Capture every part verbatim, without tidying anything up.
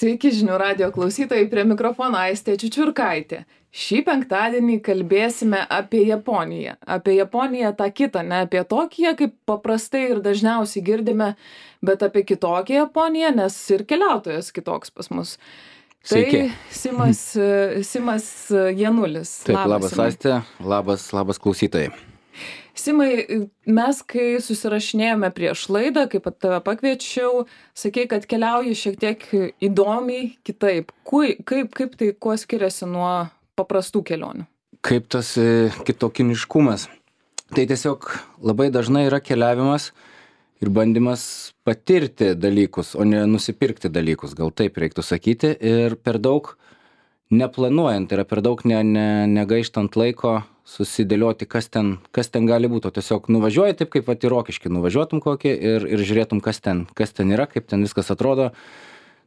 Sveiki žinių radijo klausytojai, prie mikrofono Aistė Čiučiurkaitė. Šį penktadienį kalbėsime apie Japoniją. Apie Japoniją tą kitą, ne apie Tokiją, kaip paprastai ir dažniausiai girdime, bet apie kitokią Japoniją, nes ir keliautojas kitoks pas mus. Sveiki. Tai Simas, Simas Janulis. Taip, labas, labas Aistė, labas, labas klausytojai. Simai, mes kai susirašinėjome prieš laidą, kaip tave pakviečiau, sakei, kad keliauji šiek tiek įdomiai kitaip. Kui, kaip, kaip tai kuo skiriasi nuo paprastų kelionių? Kaip tas e, kitokiniškumas. Tai tiesiog labai dažnai yra keliavimas ir bandymas patirti dalykus, o ne nusipirkti dalykus, gal taip reiktų sakyti. Ir per daug neplanuojant, tai yra per daug ne, ne, negaištant laiko susidėlioti, kas ten, kas ten gali būti. O tiesiog nuvažiuoji taip, kaip vat į Rokiškį nuvažiuotum kokį ir, ir žiūrėtum, kas ten, kas ten yra, kaip ten viskas atrodo.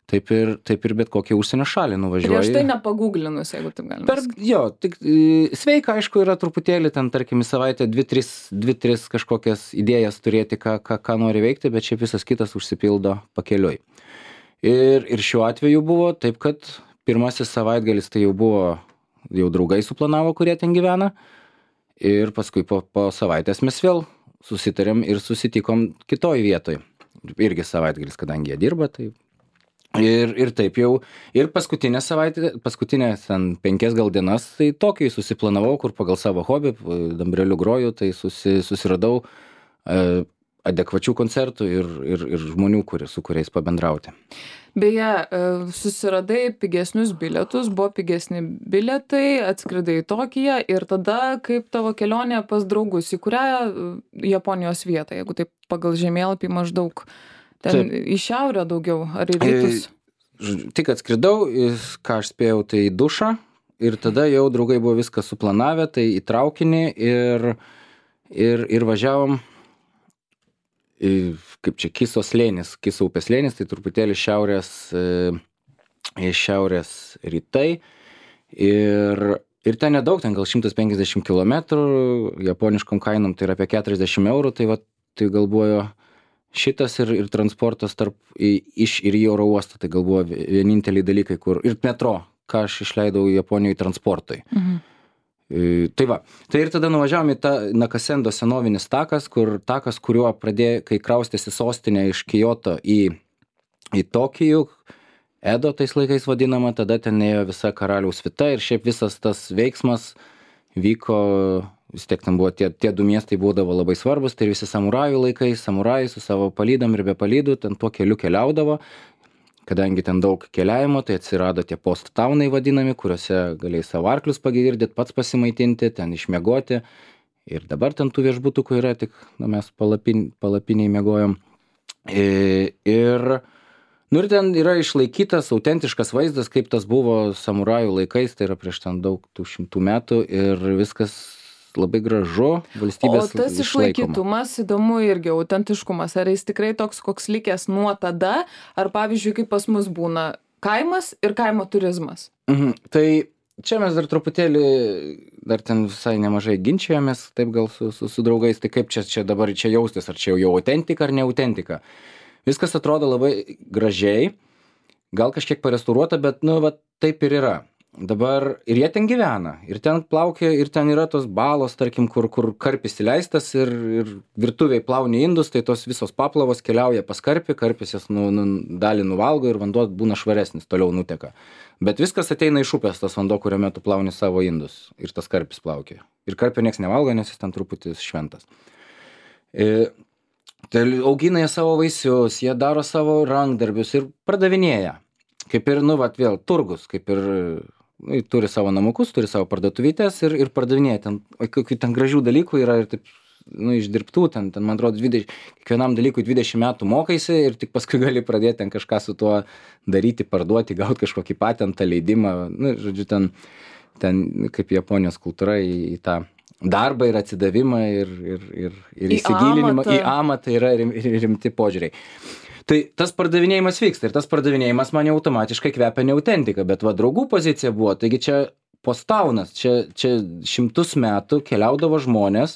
Taip ir, taip ir bet kokią užsienio šalį nuvažiuoji. Prieš tai nepaguglinus, jeigu taip galima. Per, jo, tik e, sveika, aišku, yra truputėlį ten, tarkim, į savaitę dvi, tris, dvi, tris kažkokias idėjas turėti, ką, ką, ką nori veikti, bet šiaip visas kitas užsipildo pakeliui. Ir, ir šiuo atveju buvo taip, kad pirmasis savaitgalis tai jau buvo, jau draugai suplanavo, kurie ten gyvena. Ir paskui po, po savaitės mes vėl susitarėm ir susitikom kitoj vietoj. Irgi savaitgalis, kadangi jie dirba, tai ir, ir taip jau. Ir paskutinę savaitę, paskutinės ten penkias gal dienas, tai tokį susiplanavau, kur pagal savo hobį, dambreliu groju, tai susi, susiradau e, adekvačių koncertų ir, ir, ir žmonių, kurie, su kuriais pabendrauti. Beje, susiradai pigesnius bilietus, buvo pigesni bilietai, atskridai į Tokiją ir tada kaip tavo kelionė pas draugus, į kurią Japonijos vietą, jeigu taip pagal žemėlapį maždaug ten taip. Į šiaurę daugiau, ar į rytus? E, tik atskridau, ką aš spėjau, tai į dušą ir tada jau draugai buvo viską suplanavę, tai į traukinį ir, ir, ir važiavom. Kaip čia Kiso slėnis, Kiso upės slėnis, tai truputėlį šiaurės, e, šiaurės rytai ir, ir ten nedaug, ten gal šimtas penkiasdešimt kilometrų, japoniškom kainom tai yra apie keturiasdešimt eurų, tai, va, tai galvoju šitas ir, ir transportas tarp į, iš ir į oro uostą, tai galvoju vieninteliai dalykai, kur ir metro, ką aš išleidau Japonijoje transportui. Mhm. Tai va, tai ir tada nuvažiavom į tą Nakasendo senovinis takas, kur takas, kuriuo pradėjo, kai kraustėsi sostinė iš Kioto į, į Tokijų, Edo tais laikais vadinama, tada ten ėjo visa karaliaus svita ir šiaip visas tas veiksmas vyko, vis tiek ten buvo tie, tie du miestai būdavo labai svarbus, tai visi samurajų laikai, samurajai su savo palydom ir be palydų ten tuo keliu keliaudavo. Kadangi ten daug keliavimo, tai atsirado tie post taunai vadinami, kuriuose galėjai savo arklius pagirdėti, pats pasimaitinti, ten išmiegoti. Ir dabar ten tų viešbutukų yra, tik nu, mes palapin, palapiniai miegojom. Ir, nu, ir ten yra išlaikytas autentiškas vaizdas, kaip tas buvo samurajų laikais, tai yra prieš ten daug tų šimtų metų ir viskas labai gražu, valstybės išlaikoma. O tas išlaikytumas, įdomu irgi, autentiškumas, ar jis tikrai toks, koks likęs nuo tada, ar pavyzdžiui, kaip pas mus būna kaimas ir kaimo turizmas? Mhm. Tai čia mes dar truputėlį, dar ten visai nemažai ginčijomės, taip gal su, su, su draugais, tai kaip čia, čia dabar čia jaustis, ar čia jau, jau autentika ar ne autentika. Viskas atrodo labai gražiai, gal kažkiek parestauruota, bet, nu, va, taip ir yra. Dabar ir jie ten gyvena, ir ten plaukia, ir ten yra tos balos, tarkim, kur, kur karpis įleistas ir, ir virtuviai plauni indus, tai tos visos paplavos keliauja pas karpį, karpis jas nu, nu, dalį nuvalgo ir vanduo būna švaresnis, toliau nuteka. Bet viskas ateina iš upės, tas vanduo, kuriame tu plauni savo indus ir tas karpis plaukia. Ir karpio nieks nevalgo, nes jis ten truputį šventas. E, tai augina jie savo vaisius, jie daro savo rankdarbius ir pardavinėja. Kaip ir, nu, vat, vėl turgus, kaip ir... Nu, turi savo namukus, turi savo parduotuvytės ir, ir pardavinėja ten, o kokių ten gražių dalykų yra ir taip, nu, išdirbtų, ten, ten man atrodo, dvidešimt, kiekvienam dalykui dvidešimt metų mokaisi ir tik paskui gali pradėti ten kažką su tuo daryti, parduoti, gauti kažkokį patentą, leidimą, nu, žodžiu, ten, ten kaip Japonijos kultūra į, į tą darbą ir atsidavimą ir, ir, ir, ir įsigilinimą į amatą yra rim, rimti požiūriai. Tai tas pardavinėjimas vyksta ir tas pardavinėjimas man jau automatiškai kvepia ne autentika, bet va draugų pozicija buvo, taigi čia postaunas, čia, čia šimtus metų keliaudavo žmonės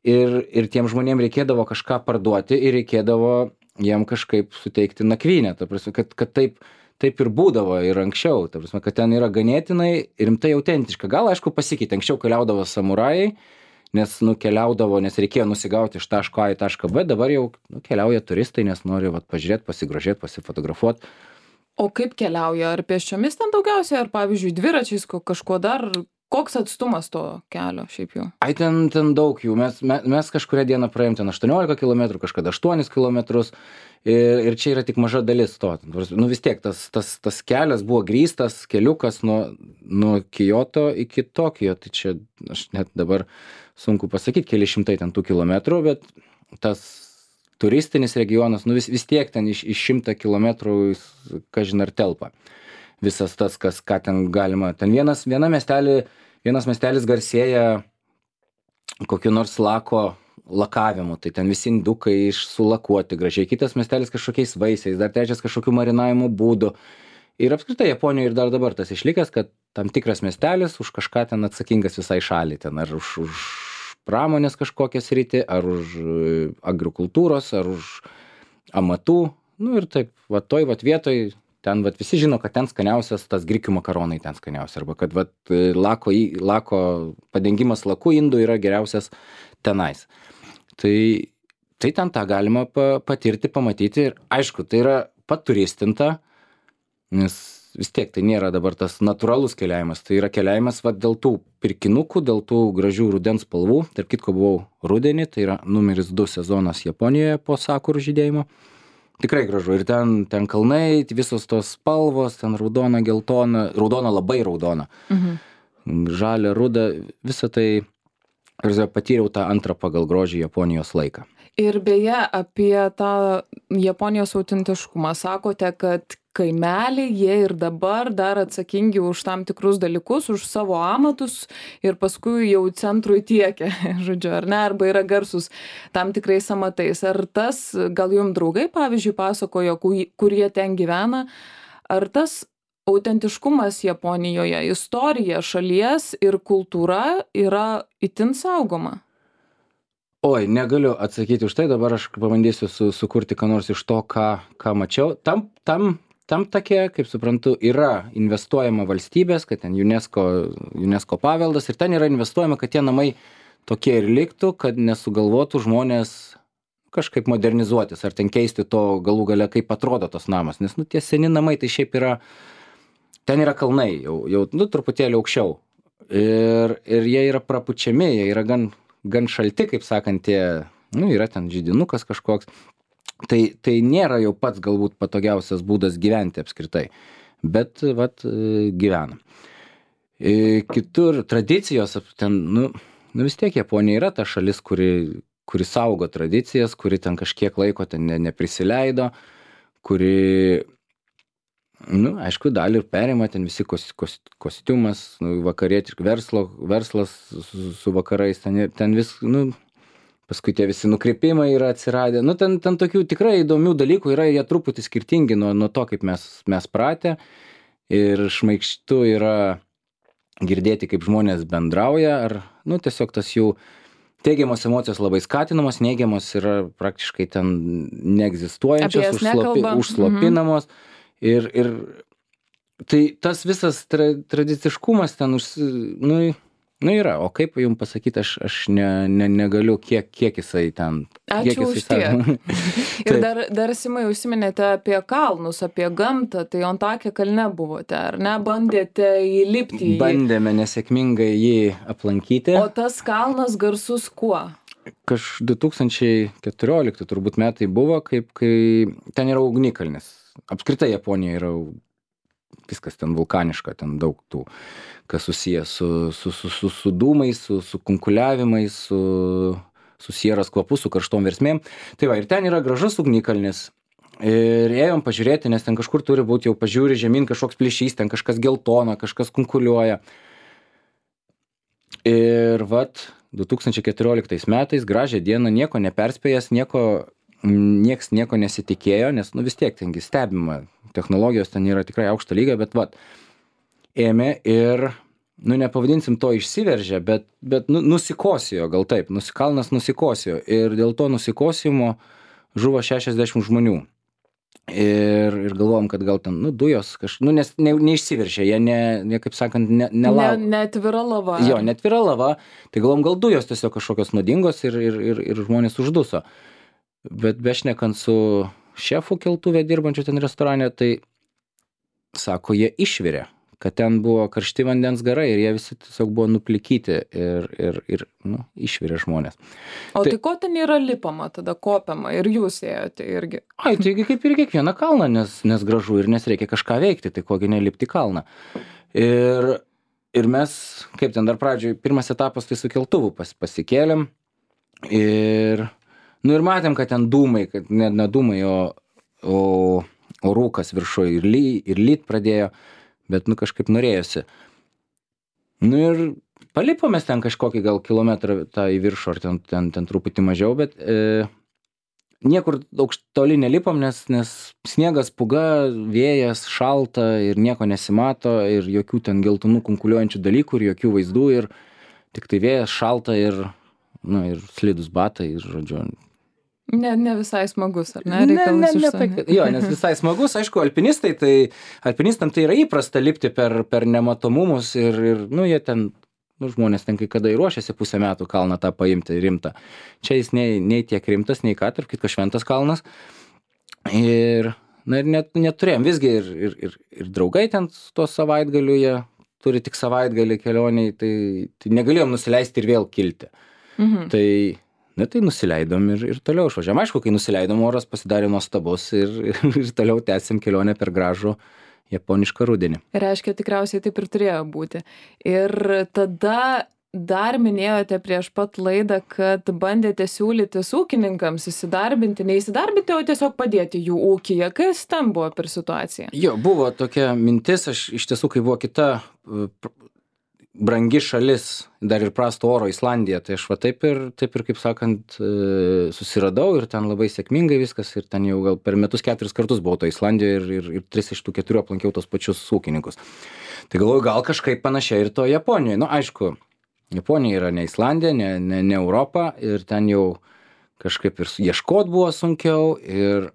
ir, ir tiem žmonėm reikėdavo kažką parduoti ir reikėdavo jiem kažkaip suteikti nakvynę, ta prasme, kad, kad taip, taip ir būdavo ir anksčiau, ta prasme, kad ten yra ganėtinai rimtai autentiška. Gal, aišku, pasikeitė, anksčiau keliaudavo samurajai, nes nukeliaudavo, nes reikėjo nusigauti iš taško A į tašką B, dabar jau nu, keliauja turistai, nes nori vat, pažiūrėti, pasigrožėti, pasifotografuoti. O kaip keliauja? Ar pėsčiomis ten daugiausiai, ar pavyzdžiui dviračiais kažkuo dar? Koks atstumas to kelio šiaip jau? Ai, ten, ten daug jų. Mes, mes, mes kažkuria dieną praėjom ten aštuoniolika kilometrų, kažkada aštuonis kilometrus. Ir, ir čia yra tik maža dalis to. Nu vis tiek, tas, tas, tas kelias buvo grįstas, keliukas nuo, nuo Kyoto iki Tokijo. Tai čia aš net dabar sunku pasakyti, keli šimtai ten tų kilometrų, bet tas turistinis regionas, nu vis, vis tiek ten iš, iš šimtą kilometrų, kažin ar telpa. Visas tas, kas, ką ten galima. Ten vienas, viena miestelį, vienas miestelis garsėja kokiu nors lako lakavimu. Tai ten visi indukai išsulakuoti gražiai. Kitas miestelis kažkokiais vaisiais, dar trečias kažkokiu marinavimo būdu. Ir apskritai Japonijoje ir dar dabar tas išlikęs, kad tam tikras miestelis už kažką ten atsakingas visai šaliai. Ten ar už, už pramonės kažkokią sritį, ar už agrikultūros, ar už amatų. Nu ir taip, va toj va vietoj. Ten vat, visi žino, kad ten skaniausias tas grikių makaronai ten skaniausia, arba kad vat, lako, lako padengimas laku indų yra geriausias tenais. Tai, tai ten tą galima pa, patirti, pamatyti ir aišku, tai yra paturistinta, nes vis tiek tai nėra dabar tas natūralus keliavimas, tai yra keliavimas vat, dėl tų pirkinukų, dėl tų gražių rudens spalvų. Tarp kitko buvau rudenį, tai yra numeris du sezonas Japonijoje po sakurų žydėjimo. Tikrai gražu. Ir ten, ten kalnai, visos tos spalvos, ten raudona, geltona, raudona labai raudona, mhm. žalia, ruda, visą tai, ir patyriau tą antrą pagal grožį Japonijos laiką. Ir beje, apie tą Japonijos autentiškumą sakote, kad kaimeliai, jie ir dabar dar atsakingi už tam tikrus dalykus, už savo amatus ir paskui jau centrui tiekia, žodžiu, ar ne, arba yra garsus tam tikrais amatais. Ar tas, gal jums draugai, pavyzdžiui, pasakojo, kur jie ten gyvena, ar tas autentiškumas Japonijoje, istorija šalies ir kultūra yra itin saugoma? Oi, negaliu atsakyti už tai, dabar aš pabandysiu su, sukurti ką nors iš to, ką, ką mačiau. Tam, tam, tam take, kaip suprantu, yra investuojama valstybės, kad ten UNESCO, UNESCO paveldas ir ten yra investuojama, kad tie namai tokie ir liktų, kad nesugalvotų žmonės kažkaip modernizuotis ar ten keisti to galų gale, kaip atrodo tos namas. Nes, nu, tie seni namai tai šiaip yra, ten yra kalnai, jau, jau nu, truputėlį aukščiau. Ir, ir jie yra prapučiami, jie yra gan gan šalti, kaip sakant, tie, nu, yra ten žydinukas kažkoks, tai, tai nėra jau pats galbūt patogiausias būdas gyventi apskritai, bet, vat, gyvenam. Kitur tradicijos, ten, nu, nu vis tiek Japonija yra ta šalis, kuri, kuri saugo tradicijas, kuri ten kažkiek laiko ten ne, neprisileido, kuri, nu, aišku, dalį ir perima, ten visi kos, kos, kostiumas, nu, vakarietiškai, verslo, verslas su, su vakarais, ten, ten vis, nu, paskui tie visi nukreipimai yra atsiradę, nu, ten, ten tokių tikrai įdomių dalykų yra, jie truputį skirtingi nuo, nuo to, kaip mes, mes pratę, ir šmaikštu yra girdėti, kaip žmonės bendrauja, ar, nu, tiesiog tas jų teigiamos emocijos labai skatinamos, neigiamos yra praktiškai ten neegzistuojančios, užslopi, užslopinamos. Mhm. Ir, ir tai tas visas tra, tradiciškumas ten, už, nu, nu yra, o kaip jums pasakyti, aš, aš ne, ne, negaliu, kiek, kiek jisai ten. Ačiū už tiek. Ir dar, dar Simai, užsiminėte apie kalnus, apie gamtą, tai Ontakė kalne buvote, ar ne? Bandėte įlipti į jį? Bandėme nesėkmingai jį aplankyti. O tas kalnas garsus kuo? Kaž du tūkstančiai keturiolikti turbūt metai buvo, kaip, kai ten yra ugnikalnis. Apskritai Japonija yra viskas ten vulkaniška, ten daug tų, kas susijęs su, su, su, su, su dūmais, su, su kunkuliavimais, su, su sieros kvapu, su karštom versmėm. Tai va, ir ten yra gražus ugnikalnis. Ir ėjom pažiūrėti, nes ten kažkur turi būti, jau pažiūri žemyn kažkoks plyšys, ten kažkas geltona, kažkas kunkuliuoja. Ir vat, du tūkstančiai keturioliktais metais, gražią dieną, nieko neperspėjęs, nieko nieks nieko nesitikėjo, nes, nu, vis tiek tengi stebima, technologijos ten yra tikrai aukšto lygio, bet, vat, ėmė ir, nu, nepavadinsim to išsiveržė, bet, bet nu, nusikosijo, gal taip, nusikalnas nusikosijo, ir dėl to nusikosimo žuvo šešiasdešimt žmonių. Ir, ir galvom, kad gal ten, nu, dujos, kaž, nu, nes ne, neišsiveršia, jie, ne, ne, kaip sakant, ne, nelau... Ne, neatvira lava. Jo, neatvira lava, tai galvom, gal dujos tiesiog kažkokios nuodingos ir, ir, ir, ir žmonės užduso. Bet bešnekant su šefu keltuvė dirbančiu ten restorane, tai sako, jie išvirė, kad ten buvo karšti vandens garai ir jie visi tiesiog buvo nuplikyti ir, ir, ir nu, išvirė žmonės. O tai, tai ko ten yra lipama, tada kopiama ir jūs ėjote irgi? Ai, taigi kaip ir kiekvieną kalną, nes, nes gražu ir nes reikia kažką veikti, tai kogi nelipti kalną. Ir, ir mes, kaip ten dar pradžioj, pirmas etapas tai su keltuvu pas, pasikėlėm ir, nu ir matėm, kad ten dūmai, kad ne, ne dūmai, o, o, o rūkas viršuje ir, ly, ir lyt pradėjo. Bet, nu, kažkaip norėjosi. Nu ir palipomės ten kažkokį gal kilometrą tą į viršų, ar ten, ten, ten truputį mažiau, bet e, niekur aukštoli nelipom, nes, nes sniegas, puga, vėjas, šalta ir nieko nesimato ir jokių ten geltonų kunkuliuojančių dalykų ir jokių vaizdų ir tik tai vėjas, šalta ir, nu, ir slidus batai ir, žodžiu, Ne, ne visai smagus, ar ne? Ne, ne, ne tai, jo, nes visai smagus, aišku, alpinistai, tai alpinistam tai yra įprasta lipti per, per nematomumus ir, ir, nu, jie ten, nu, žmonės ten kai kada ir ruošiasi pusę metų kalną tą paimti rimtą. Čia jis nei, nei tiek rimtas, nei ką, tarp kitko šventas kalnas. Ir, na, ir net, neturėjom, visgi ir, ir, ir, ir draugai ten to savaitgaliu, jie turi tik savaitgalį kelioniai, tai, tai negalėjom nusileisti ir vėl kilti. Mhm. Tai Na tai nusileidom ir, ir toliau išvažiavom. Aišku, kai nusileidom, oras pasidarė nuostabus ir, ir, ir toliau tęsim kelionę per gražų japonišką rudenį. Reiškia, tikriausiai taip ir turėjo būti. Ir tada dar minėjote prieš pat laidą, kad bandėte siūlytis ūkininkams įsidarbinti, neįsidarbinti, o tiesiog padėti jų ūkyje. Kas ten buvo per situaciją? Jo, buvo tokia mintis, aš iš tiesų, kai buvo kita brangi šalis, dar ir prasto oro Islandija, tai aš va taip ir, taip ir kaip sakant, susiradau ir ten labai sėkmingai viskas ir ten jau gal per metus keturis kartus buvau to Islandijoje ir, ir, ir tris iš tų keturių aplankiau tos pačius ūkininkus. Tai galvoju, gal kažkaip panašiai ir to Japonijoje. Nu, aišku, Japonija yra ne Islandija, ne, ne, ne Europa ir ten jau kažkaip ir ieškot buvo sunkiau ir,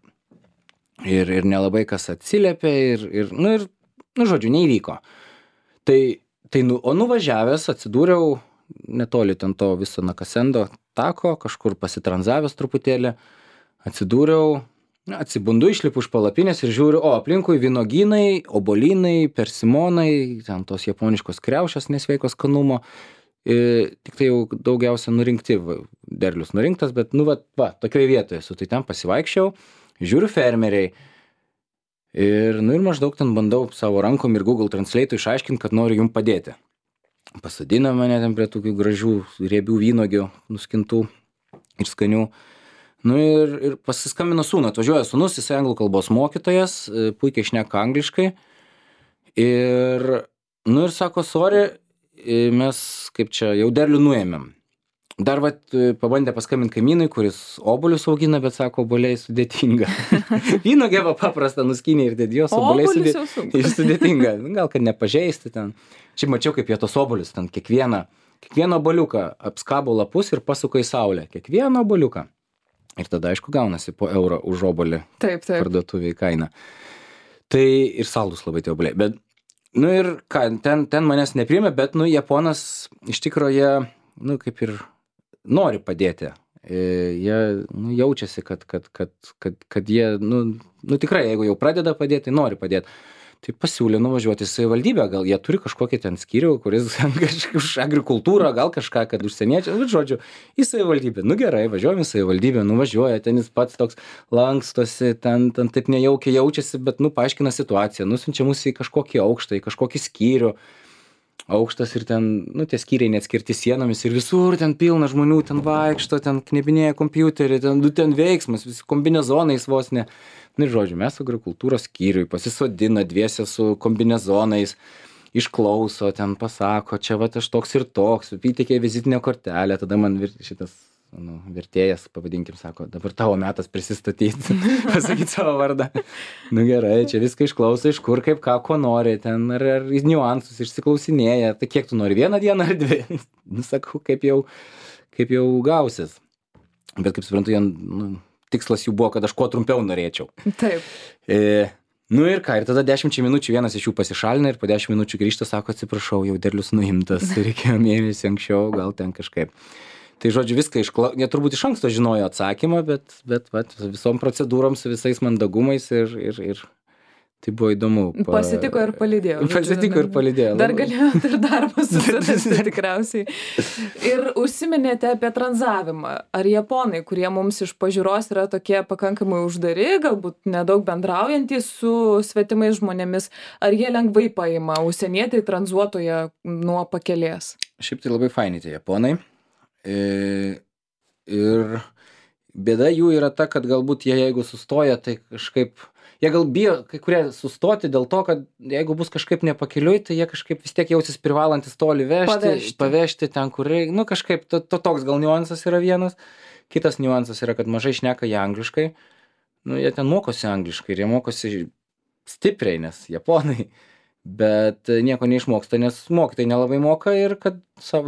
ir, ir nelabai kas atsiliepė ir, ir, nu, ir, nu, žodžiu, neįvyko. Tai Tai, nu, o nuvažiavęs atsidūriau netoli ten to viso Nakasendo tako, kažkur pasitranzavęs truputėlį, atsidūriau, atsibundu, išlipu iš palapinės ir žiūriu, o aplinkui vynogynai, obolynai, persimonai, ten tos japoniškos kriaušės nesveikos skanumo, ir tik tai jau daugiausia nurinkti, derlius nurinktas, bet, nu, va, va tokioj vietoje esu, tai ten pasivaikščiau, žiūriu fermeriai. Ir, nu, ir maždaug ten bandau savo rankom ir Google Translate išaiškinti, kad noriu jum padėti. Pasadino mane ten prie tokių gražių riebių vynogių, nuskintų ir skanių. Nu ir, ir pasiskambino sūnų, atvažiuoja sūnus, jis anglų kalbos mokytojas, puikiai šneka angliškai. Ir, nu ir sako, sorry, mes kaip čia jau derlių nuėmėm. Dar vat pabandė paskambinti kaimynui, kuris obuolius augina, bet sako, obuoliai sudėtinga. Vynogė va paprasta nuskynė ir dėdijos, obuoliai sudė... sudėtinga. Gal kad nepažeisti ten. Šiaip mačiau, kaip jie tos obuolius ten kiekvieną, kiekvieną obuoliuką apskabo lapus ir pasuka į saulę. Kiekvieną obuoliuką. Ir tada, aišku, gaunasi po eurą už obuolį parduotuviai kainą. Tai ir saldus labai tie obuoliai. Bet, nu ir ką, ten, ten manęs nepriėmė, bet, nu, Japonas iš tikrųjų, nu, kaip ir nori padėti. Jie, nu, jaučiasi, kad, kad, kad, kad, kad jie, nu, nu, tikrai, jeigu jau pradeda padėti, tai nori padėti. Tai pasiūlė nuvažiuoti į savivaldybę, gal jie turi kažkokį ten skyrių, kuris už agrikultūrą, gal kažką, kad užsieniečiai, nu, žodžiu, į savivaldybę. Nu gerai, važiuojam į savivaldybę, nuvažiuoja, ten jis pats toks lankstosi, ten, ten taip nejaukiai jaučiasi, bet, nu, paaiškina situaciją, nusiunčia mus į kažkokį aukštą, į kažkokį skyrių. Aukštas ir ten, nu, tie skyriai neatskirti sienomis ir visur ten pilna žmonių, ten vaikšto, ten knebinėja kompiuterį, ten, nu, ten veiksmas, visi kombinezonais vos ne. Nu, ir žodžiu, mes agrikultūros skyriui pasisodina dviese su kombinezonais, išklauso, ten pasako, čia va aš toks ir toks, įteikė vizitinę kortelę, tada man šitas, nu, vertėjas, pavadinkim, sako, dabar tavo metas prisistatyti, pasakyti savo vardą. Nu gerai, čia viską išklauso, iš kur, kaip, ką, ko nori, ten, ar, ar niuansus išsiklausinėja, tai kiek tu nori, vieną dieną ar dvi? Nu, sakau, kaip jau, kaip jau gausis. Bet kaip suprantu, jie, nu, tikslas jų buvo, kad aš kuo trumpiau norėčiau. Taip. E, nu ir ką, ir tada dešimčiai minučių vienas iš jų pasišalina ir po dešimt minučių grįžta, sako, atsiprašau, jau derlius nuimtas, reikėjo mėnesį anksčiau, gal ten kažkaip. Tai žodžiu, viską iškla... Jie turbūt iš anksto žinojo atsakymą, bet, bet vat, visom procedūrom su visais mandagumais ir, ir, ir tai buvo įdomu. Pa... Pasitiko ir palydėjo. Pasitiko ir palydėjo. Dar galėjot ir darbą susirasti tikriausiai. Ir užsiminėte apie tranzavimą. Ar japonai, kurie mums iš pažiūros yra tokie pakankamai uždari, galbūt nedaug bendraujantys su svetimais žmonėmis, ar jie lengvai paima užsienietai tranzuotoje nuo pakelės? Šiaip tai labai faini tie japonai. E, ir bėda jų yra ta, kad galbūt jie jeigu sustoja, tai kažkaip jie gal bijo kai kurie sustoti dėl to, kad jeigu bus kažkaip nepakeliui, tai jie kažkaip vis tiek jausis privalantis toli vežti, pavežti, pavežti ten, kur reikia. Nu, kažkaip to, to toks gal niuansas yra vienas. Kitas niuansas yra, kad mažai šneka jie angliškai. Nu, jie ten mokosi angliškai ir jie mokosi stipriai, nes japonai. Bet nieko neišmoksta, nes mokytojai nelabai moka ir kad,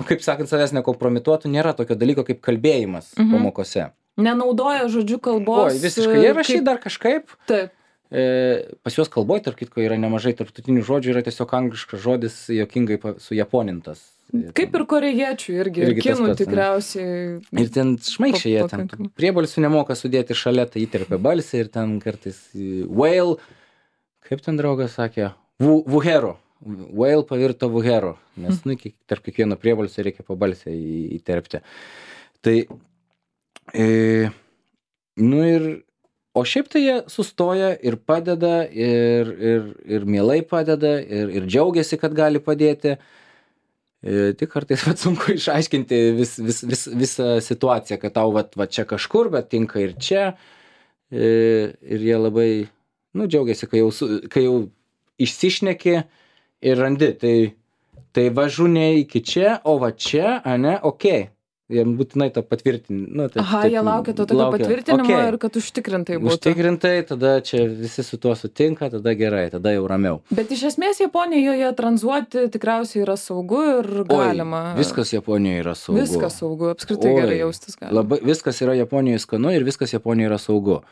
kaip sakant, savęs nekompromituotų, nėra tokio dalyko kaip kalbėjimas mhm. pamokose. Nenaudoja žodžių kalbos. Oi, visiškai. Jie rašy kaip... dar kažkaip. Taip. E, pas juos kalboj, tarp kitko, yra nemažai tarptautinių žodžių, yra tiesiog angliškas žodis jokingai sujaponintas. Kaip ir korėjiečių irgi, irgi kinų tas, tikriausiai. Ir ten šmaikščiai jie ten priebalsių nemoka sudėti šalia, tai įterpia balsį ir ten kartais whale, kaip ten draugas sakė, vuhero. Whale pavirto vuhero, nes nu, tarp kiekvieno priebalsio reikia pabalsę įterpti. Tai, e, nu ir o šiaip tai jie sustoja ir padeda, ir, ir, ir mielai padeda, ir, ir džiaugiasi, kad gali padėti. E, tik kartais vat, sunku išaiškinti vis, vis, vis, visą situaciją, kad tau vat, vat čia kažkur, bet tinka ir čia. E, ir jie labai, nu, džiaugiasi, kai jau, su, kai jau išsišneki ir randi. Tai, tai važu ne iki čia, o va čia, ane, okei. Okay. Jiem būtinai to patvirtinti. Nu, taip, Aha, taip, jie laukia to tokio laukia. patvirtinimo okay. Ir kad užtikrintai būtų. Užtikrintai, tada čia visi su tuo sutinka, tada gerai, tada jau ramiau. Bet iš esmės Japonijoje tranzuoti tikriausiai yra saugu ir galima. Oi, viskas Japonijoje yra saugu. Viskas saugu, apskritai Oi, gerai jaustis galima. Labai, viskas yra Japonijoje skanu ir viskas Japonijoje yra saugu.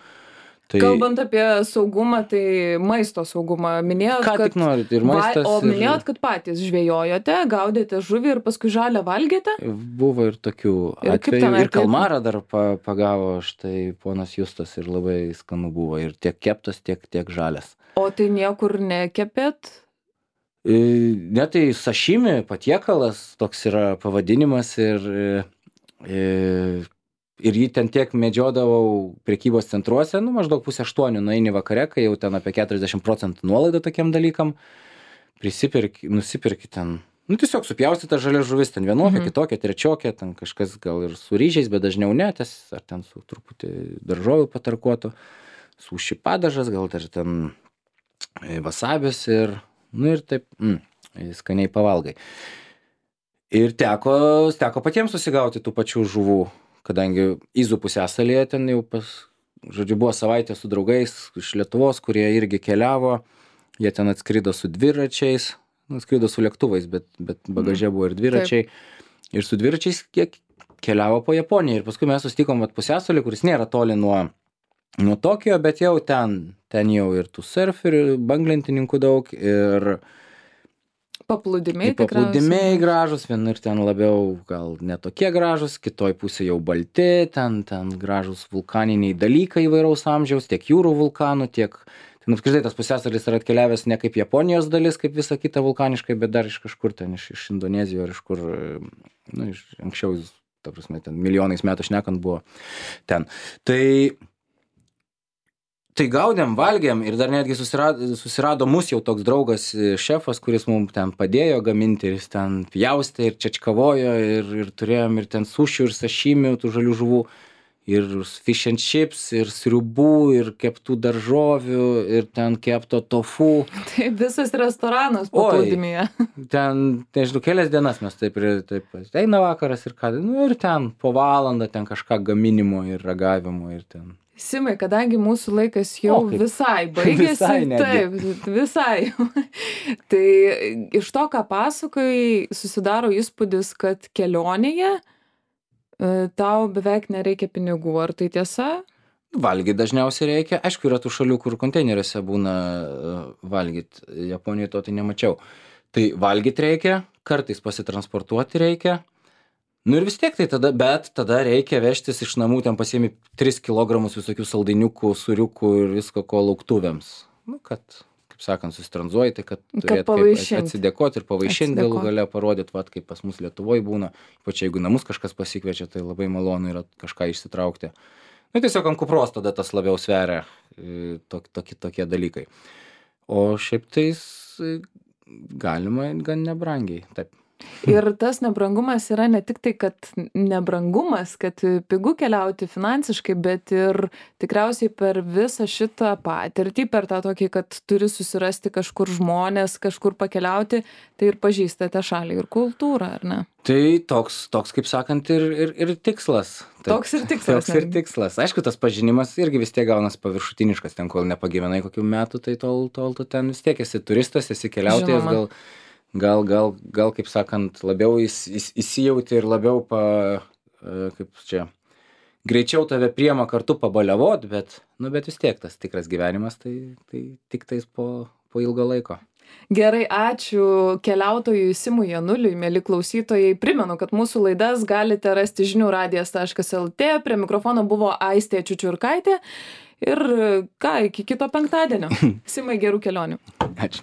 Tai... Kalbant apie saugumą, tai maisto saugumą. Minėjot, Ką kad... tik norit, ir maistas. Va, o minėjot, ir... kad patys žvejojote, gaudėte žuvį ir paskui žalę valgėte? Buvo ir tokių ir atvejų. Ir kalmarą dar pagavo štai ponas Justas ir labai skanu buvo. Ir tiek keptas, tiek, tiek žalės. O tai niekur nekepėt? E, ne, tai sašimi patiekalas, toks yra pavadinimas ir... E, Ir jį ten tiek medžiodavau prekybos centruose, nu maždaug pusę aštuonių nueini vakare, kai jau ten apie keturiasdešimt procentų nuolaida tokiam dalykam, prisipirki, nusipirki ten, nu tiesiog supjaustyta žalia žuvis, ten vienokia, mhm. kitokia, trečiokia, ten kažkas gal ir su ryžiais, bet dažniau ne, ties, ar ten su truputį daržovių patarkuotų, su šipadažas, gal dar ten vasabis ir, nu ir taip, mm, skaniai pavalgai. Ir teko, teko patiems susigauti tų pačių žuvų. Kadangi Izų pusiasalyje ten jau pas, žodžiu, buvo savaitė su draugais iš Lietuvos, kurie irgi keliavo, jie ten atskrido su dviračiais, atskrido su lėktuvais, bet, bet bagaže buvo ir dviračiai. Taip. Ir su dviračiais kiek keliavo po Japoniją. Ir paskui mes susitikom vat pusiasalį, kuris nėra toli nuo, nuo Tokijo, bet jau ten, ten jau ir tų surferių, banglentininkų daug ir... Paplūdimiai tikriausiai. Paplūdimiai gražus, vienur ten labiau gal netokie gražus, kitoj pusė jau balti, ten, ten gražus vulkaniniai dalykai įvairaus amžiaus, tiek jūrų vulkanų, tiek... Ten apskritai tas pusiasalis yra atkeliavęs ne kaip Japonijos dalis, kaip visa kita vulkaniškai, bet dar iš kažkur ten, iš, iš Indonezijos, ar iš kur, nu, iš anksčiau, ta prasme, ten milijonais metų šnekant buvo ten. Tai... Tai gaudėm, valgėm ir dar netgi susirado, susirado mus jau toks draugas šefas, kuris mums ten padėjo gaminti ir jis ten pjaustė ir čečkavojo ir, ir turėjom ir ten sušių ir sašimių, tų žalių žuvų ir fish and chips ir sriubų ir keptų daržovių ir ten kepto tofu. Tai visas restoranas paplūdimyje. Ten, nežinau, kelias dienas mes taip ir taip, eina vakaras ir ką, nu ir ten po valandą ten kažką gaminimo ir ragavimo ir ten. Simai, kadangi mūsų laikas jau o, visai baigėsi, visai taip, visai. Tai iš to, ką pasakoji, susidaro įspūdis, kad kelionėje tau beveik nereikia pinigų. Ar tai tiesa? Valgyt dažniausiai reikia. Aišku, yra tų šalių, kur konteineriuose būna valgyt. Japonijoje to tai nemačiau. Tai valgyt reikia, kartais pasitransportuoti reikia. Nu ir vis tiek tai tada, bet tada reikia vežtis iš namų, ten pasiemi tris kilogramus visokių saldainiukų, sūriukų ir visko ko lauktuvėms. Nu, kad, kaip sakant, susitranzuoji, tai kad turėt kaip atsidėkoti ir pavaišinti galų gale parodyti, vat, kaip pas mus Lietuvoje būna. Ypač jeigu namus kažkas pasikviečia, tai labai malonu yra kažką išsitraukti. Nu, tiesiog ant kupros tada tas labiau sveria tok, tokie, tokie dalykai. O šiaip tais galima gan nebrangiai, taip. Ir tas nebrangumas yra ne tik tai, kad nebrangumas, kad pigu keliauti finansiškai, bet ir tikriausiai per visą šitą patirtį, per tą tokį, kad turi susirasti kažkur žmonės, kažkur pakeliauti, tai ir pažįstate šalį ir kultūrą, ar ne? Tai toks, toks kaip sakant, ir, ir, ir tikslas. Taip, toks ir tikslas. Toks ir tikslas. Aišku, tas pažinimas irgi vis tiek gaunas paviršutiniškas, ten kol nepagyvenai kokių metų, tai tol, tol tu ten vis tiek esi turistas, esi keliautojas, gal... Gal, gal, gal, kaip sakant, labiau įs, įs, įsijauti ir labiau, pa, kaip čia, greičiau tave priema kartu pabaliavot, bet, nu, bet vis tiek tas tikras gyvenimas, tai, tai tik tais po, po ilgo laiko. Gerai, ačiū keliautojui Simui Januliui, mėly klausytojai. Primenu, kad mūsų laidas galite rasti žinių radijas taškas lt. Prie mikrofono buvo Aistė Čiučiurkaitė. Ir ką, iki kito penktadienio. Simai, gerų kelionių. Ačiū.